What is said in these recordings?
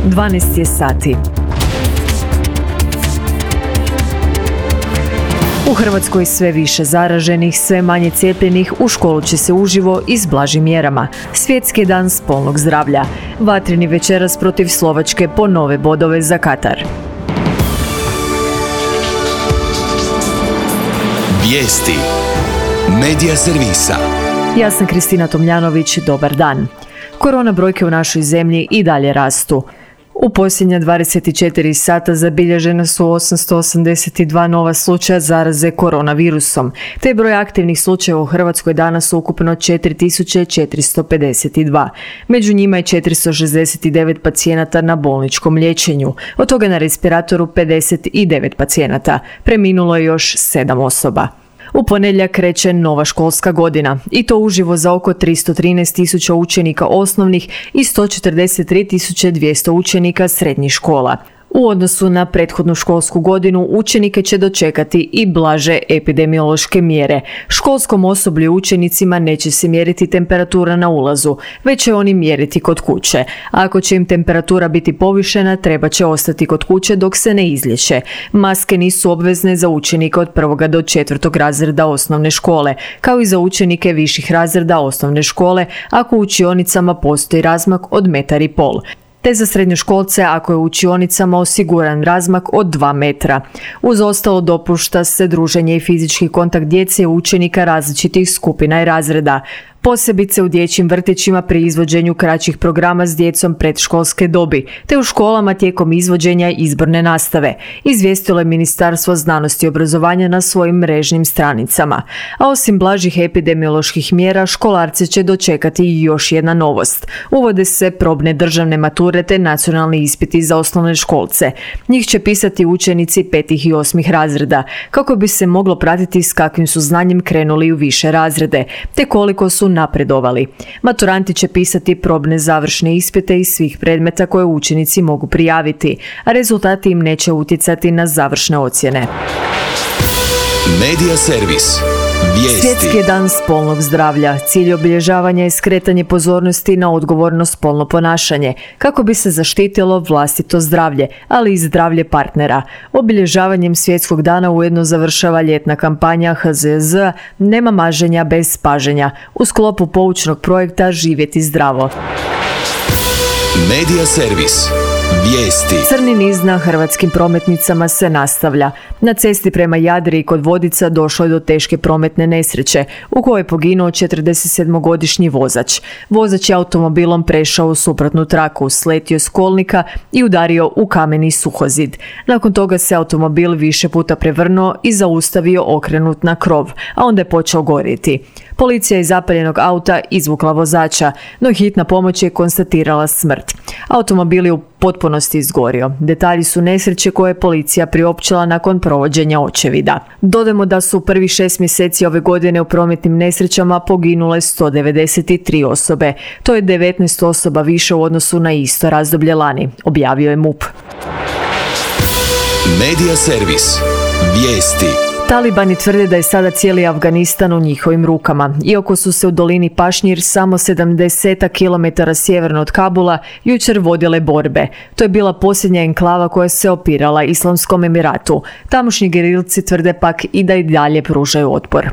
12 je sati. U Hrvatskoj sve više zaraženih, sve manje cijepljenih, u školu će se uživo i s blažim mjerama. Svjetski dan spolnog zdravlja. Vatreni večeras protiv Slovačke po nove bodove za Katar. Vijesti. Medija servisa. Ja sam Kristina Tomljanović, dobar dan. Korona brojke u našoj zemlji i dalje rastu. U posljednja 24 sata zabilježena su 882 nova slučaja zaraze koronavirusom, te broj aktivnih slučajeva u Hrvatskoj danas ukupno 4452. Među njima je 469 pacijenata na bolničkom liječenju, od toga na respiratoru 59 pacijenata. Preminulo je još 7 osoba. U ponedjeljak kreće nova školska godina i to uživo za oko 313.000 učenika osnovnih i 143.200 učenika srednjih škola. U odnosu na prethodnu školsku godinu učenike će dočekati i blaže epidemiološke mjere. Školskom osoblju i učenicima neće se mjeriti temperatura na ulazu, već će oni mjeriti kod kuće. A ako će im temperatura biti povišena, treba će ostati kod kuće dok se ne izliječe. Maske nisu obvezne za učenike od 1. do 4. razreda osnovne škole, kao i za učenike viših razreda osnovne škole ako u učionicama postoji razmak od 1,5 metra. Te za srednjoškolce ako je u učionicama osiguran razmak od 2 metra. Uz ostalo dopušta se druženje i fizički kontakt djece i učenika različitih skupina i razreda, posebice u dječjim vrtićima pri izvođenju kraćih programa s djecom predškolske dobi, te u školama tijekom izvođenja izborne nastave, izvijestilo je Ministarstvo znanosti i obrazovanja na svojim mrežnim stranicama. A osim blažih epidemioloških mjera, školarce će dočekati i još jedna novost. Uvode se probne državne mature te nacionalni ispiti za osnovne školce. Njih će pisati učenici 5. i 8. razreda, kako bi se moglo pratiti s kakvim su znanjem krenuli u više razrede, te koliko su napredovali. Maturanti će pisati probne završne ispite iz svih predmeta koje učenici mogu prijaviti, a rezultati im neće utjecati na završne ocjene. Medija servis. Vijesti. Svjetski je dan spolnog zdravlja. Cilj obilježavanja je skretanje pozornosti na odgovorno spolno ponašanje, kako bi se zaštitilo vlastito zdravlje, ali i zdravlje partnera. Obilježavanjem svjetskog dana ujedno završava ljetna kampanja HZZ Nema maženja bez paženja u sklopu poučnog projekta Živjeti zdravo. Medija servis. Vijesti. Crni niz na hrvatskim prometnicama se nastavlja. Na cesti prema Jadri i kod Vodica došlo je do teške prometne nesreće u kojoj je poginuo 47-godišnji vozač. Vozač je automobilom prešao u suprotnu traku, sletio s kolnika i udario u kameni suhozid. Nakon toga se automobil više puta prevrnuo i zaustavio okrenut na krov, a onda je počeo gorjeti. Policija je iz zapaljenog auta izvukla vozača, no hitna pomoć je konstatirala smrt. Automobil je u potpunosti izgorio. Detalji su nesreće koje je policija priopćila nakon provođenja očevida. Dodajmo da su u prvih 6 mjeseci ove godine u prometnim nesrećama poginule 193 osobe. To je 19 osoba više u odnosu na isto razdoblje lani, objavio je MUP. Medija servis. Vijesti. Talibani tvrde da je sada cijeli Afganistan u njihovim rukama. Iako su se u dolini Pašnjir samo 70 km sjeverno od Kabula jučer vodile borbe. To je bila posljednja enklava koja se opirala Islamskom Emiratu. Tamošnji gerilci tvrde pak i da i dalje pružaju otpor.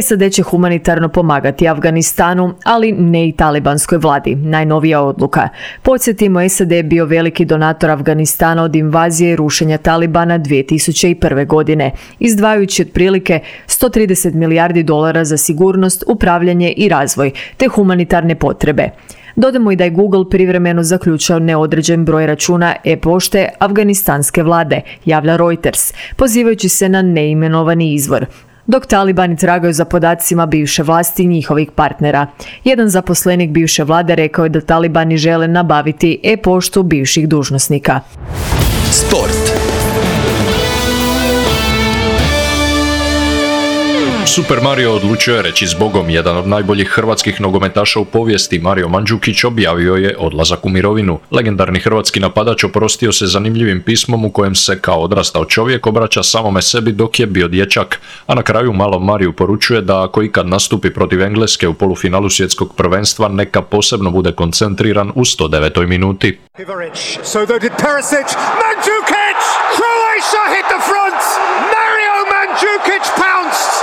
SAD će humanitarno pomagati Afganistanu, ali ne i talibanskoj vladi. Najnovija odluka. Podsjetimo, SAD je bio veliki donator Afganistana od invazije i rušenja Talibana 2001. godine, izdvajajući otprilike $130 milijardi za sigurnost, upravljanje i razvoj, te humanitarne potrebe. Dodamo i da je Google privremeno zaključao neodređen broj računa e-pošte afganistanske vlade, javlja Reuters, pozivajući se na neimenovani izvor. Dok talibani tragaju za podacima bivše vlasti i njihovih partnera. Jedan zaposlenik bivše vlade rekao je da talibani žele nabaviti e-poštu bivših dužnosnika. Sport. Super Mario odlučio je reći zbogom. Jedan od najboljih hrvatskih nogometaša u povijesti, Mario Mandžukić, objavio je odlazak u mirovinu. Legendarni hrvatski napadač oprostio se zanimljivim pismom u kojem se kao odrastao čovjek obraća samome sebi dok je bio dječak, a na kraju malom Mariju poručuje da ako ikad nastupi protiv Engleske u polufinalu svjetskog prvenstva, neka posebno bude koncentriran u 109. minuti. So though did Perisic, Mandžukić, Croatia hit the front, Mario Mandžukić pounced,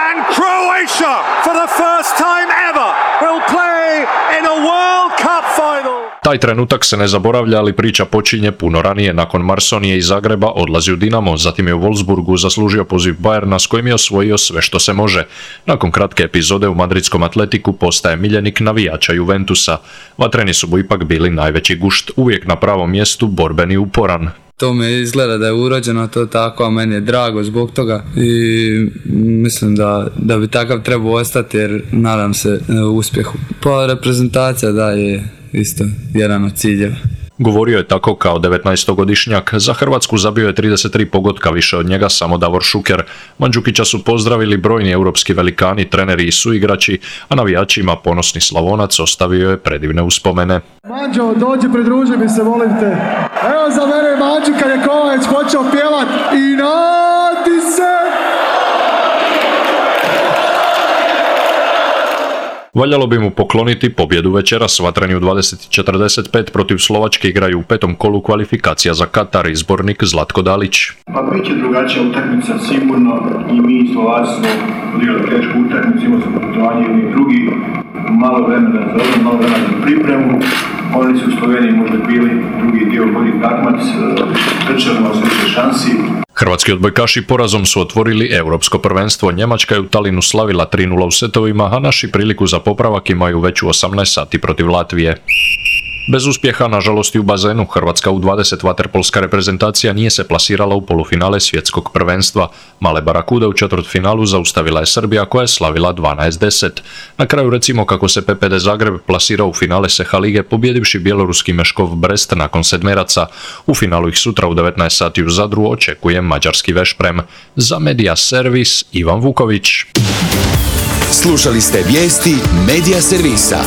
and Croatia for the first time ever will play in a World Cup final. Taj trenutak se ne zaboravlja, ali priča počinje puno ranije. Nakon Marsonije iz Zagreba odlazi u Dinamo, zatim je u Wolfsburgu zaslužio poziv Bayerna s kojim je osvojio sve što se može. Nakon kratke epizode u madridskom Atletiku postaje miljenik navijača Juventusa. Vatreni su mu ipak bili najveći gušt, uvijek na pravom mjestu, borben i uporan. To me izgleda da je urođeno to tako, a meni je drago zbog toga i mislim da bi takav trebao ostati jer nadam se uspjehu. Pa reprezentacija da je isto jedan od ciljeva. Govorio je tako kao 19-godišnjak. Za Hrvatsku zabio je 33 pogotka, više od njega samo Davor Šuker. Mandžukića su pozdravili brojni europski velikani, treneri i suigrači, a navijačima ponosni Slavonac ostavio je predivne uspomene. Mandžo, dođi, pridruži mi se, molim te. Evo za mene Mandžu kad je Kovač počeo pjevat i nati se! Valjalo bi mu pokloniti pobjedu večeras. Vatreni u 20:45 protiv Slovačke igraju u 5. kolu kvalifikacija za Katar, izbornik Zlatko Dalić. Pa bit će drugačija utakmica sigurno i mi Slovaci smo odigrali tešku utakmicu, imali smo putovanje jedni drugi, malo vremena za ovo, malo vremena za pripremu. Oni su u Sloveniji možda bili drugi dio bolji takmac, trčali nas više šansi. Hrvatski odbojkaši porazom su otvorili europsko prvenstvo. Njemačka je u Talinu slavila 3:0 u setovima, a naši priliku za popravak imaju već u 18 sati protiv Latvije. Bez uspjeha, nažalost i u bazenu, Hrvatska U20 vaterpolska reprezentacija nije se plasirala u polufinale svjetskog prvenstva. Male barakude u četvrtfinalu zaustavila je Srbija koja je slavila 12:10. Na kraju recimo kako se PPD Zagreb plasirao u finale Seha lige pobjedivši bjeloruski Meškov Brest nakon sedmeraca. U finalu ih sutra u 19 sati u Zadru očekuje mađarski Vešprem. Za Media Servis Ivan Vuković. Slušali ste vijesti Media Servisa.